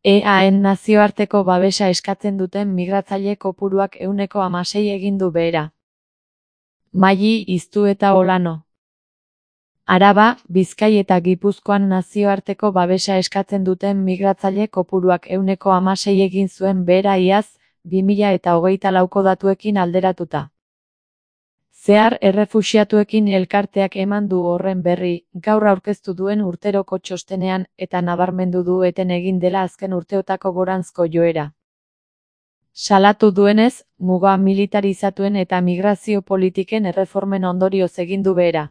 EAen nazioarteko babesa eskatzen duten migratzaile kopuruak 16% egin du behera. Maili Iztu eta Olano. Araba, Bizkai eta Gipuzkoan nazioarteko babesa eskatzen duten migratzaile kopuruak 16% egin zuen behera iaz, 2024ko datuekin alderatuta. Zehar errefuxiatuekin elkarteak eman du horren berri, gaur aurkeztu duen urteroko txostenean, eta nabarmendu du eten egin dela azken urteotako goranzko joera. Salatu duenez, muga militarizatuen eta migrazio politiken erreformen ondorioz egin du behera.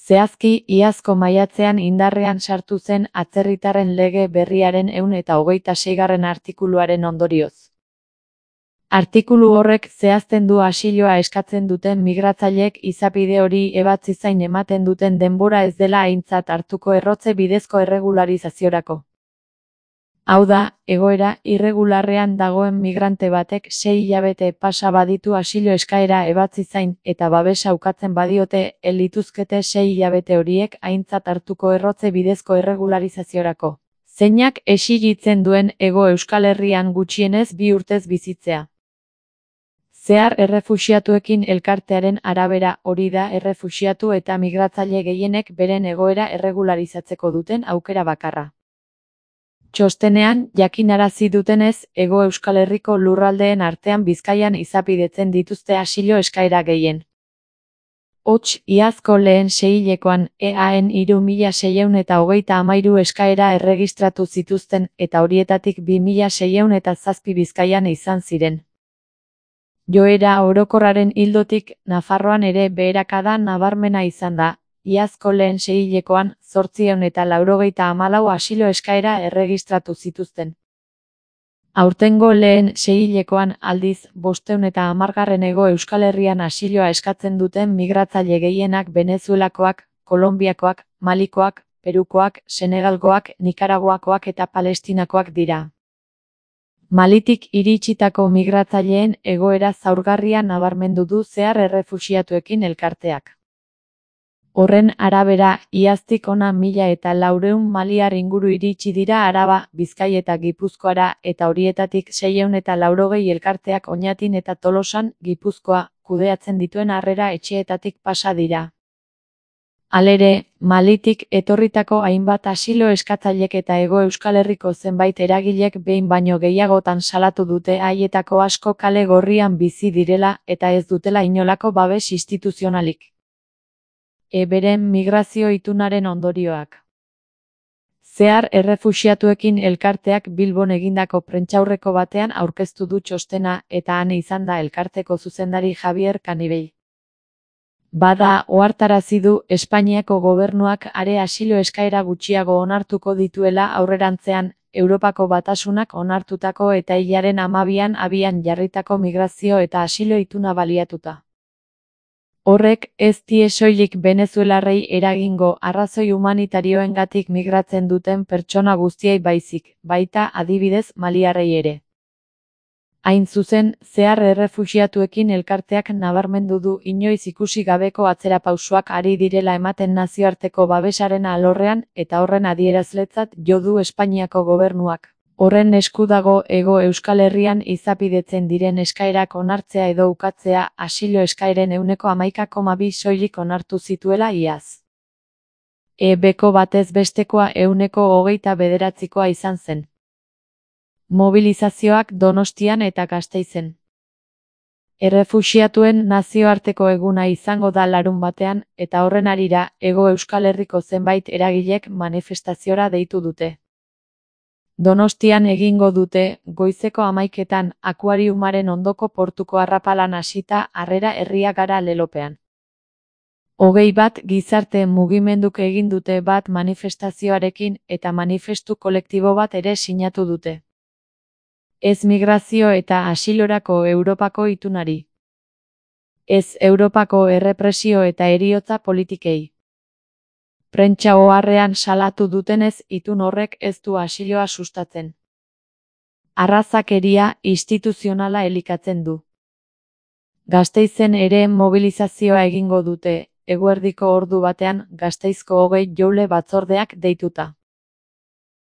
Zehazki, iazko maiatzean indarrean sartu zen atzerritarren lege berriaren 126. artikuluaren ondorioz. Artikulu horrek zehazten du asiloa eskatzen duten migratzaileek izapide hori ebatzi zain ematen duten denbora ez dela aintzat hartuko errotze bidezko erregularizaziorako. Hau da, egoera irregularrean dagoen migrante batek 6 hilabete pasa baditu asilo eskaera ebatzi zain eta babesa ukatzen badiote, lituzkete 6 hilabete horiek aintzat hartuko errotze bidezko erregularizaziorako. Zeinak exigitzen duen Hego Euskal Herrian gutxienez 2 urtez bizitzea. Zehar errefuxiatuekin elkartearen arabera hori da errefuxiatu eta migratzaile gehienek beren egoera erregularizatzeko duten aukera bakarra. Txostenean, jakinarazi dutenez, Hego Euskal Herriko lurraldeen artean Bizkaian izapidetzen dituzte asilo eskaera gehien. Hots, iazko lehen seihilekoan, EAen 3633 eskaera erregistratu zituzten eta horietatik 2607 Bizkaian izan ziren. Joera orokorraren ildotik, Nafarroan ere beherakada nabarmena izan da, iazko lehen seihilekoan 894 asilo eskaera erregistratu zituzten. Aurtengo lehen seihilekoan aldiz, 510 Hego Euskal Herrian asiloa eskatzen duten migratzaile gehienak Venezuelakoak, Kolonbiakoak, Malikoak, Perukoak, Senegalgoak, Nikaraguakoak eta Palestinakoak dira. Malitik iritsitako migratzaileen egoera zaurgarria nabarmendu du zehar errefuxiatuekin elkarteak. Horren arabera, iaztik hona 1400 maliar inguru iritsi dira Araba, Bizkai eta Gipuzkoara eta horietatik 680 elkarteak Oñatin eta Tolosan, Gipuzkoa, kudeatzen dituen harrera etxeetatik pasa dira. Halere, Malitik etorritako hainbat asilo eskatzailek eta Hego Euskal Herriko zenbait eragilek behin baino gehiagotan salatu dute haietako asko kale gorrian bizi direla eta ez dutela inolako babes instituzionalik. Beren migrazio itunaren ondorioak. Zehar errefuxiatuekin elkarteak Bilbon egindako prentsaurreko batean aurkeztu du txostena eta han izan da elkarteko zuzendari Javier Canibell. Bada, ohartarazi du Espainiako gobernuak are asilo eskaera gutxiago onartuko dituela aurrerantzean, Europako Batasunak onartutako eta hilaren 12an abian jarritako migrazio eta asilo ituna baliatuta. Horrek ez die soilik venezuelarrei eragingo arrazoi humanitarioengatik migratzen duten pertsona guztiei baizik, baita adibidez maliarrei ere. Hain zuzen, zehar errefuxiatuekin elkarteak nabarmendu du inoiz ikusi gabeko atzerapausoak ari direla ematen nazioarteko babesaren alorrean eta horren adierazletzat jo du Espainiako gobernuak. Horren esku dago Hego Euskal Herrian izapidetzen diren eskaerak onartzea edo ukatzea asilo eskaeren 11,2 soilik onartu zituela iaz. Beko batez bestekoa 29%koa izan zen. Mobilizazioak Donostian eta Gasteizen. Errefuxiatuen nazioarteko eguna izango da larunbatean eta horren harira Hego Euskal Herriko zenbait eragilek manifestaziora deitu dute. Donostian egingo dute, goizeko 11etan, akuariumaren ondoko portuko arrapalan hasita Harrera Herria Gara lelopean. 21 gizarte mugimenduk egin dute bat manifestazioarekin eta manifestu kolektibo bat ere sinatu dute. Ez migrazio eta asilorako Europako itunari. Ez Europako errepresio eta heriotza politikei. Prentsa oharrean salatu dutenez itun horrek ez du asiloa sustatzen. Arrazakeria instituzionala elikatzen du. Gasteizen ere mobilizazioa egingo dute, eguerdiko ordu batean Gasteizko 20 joule batzordeak deituta.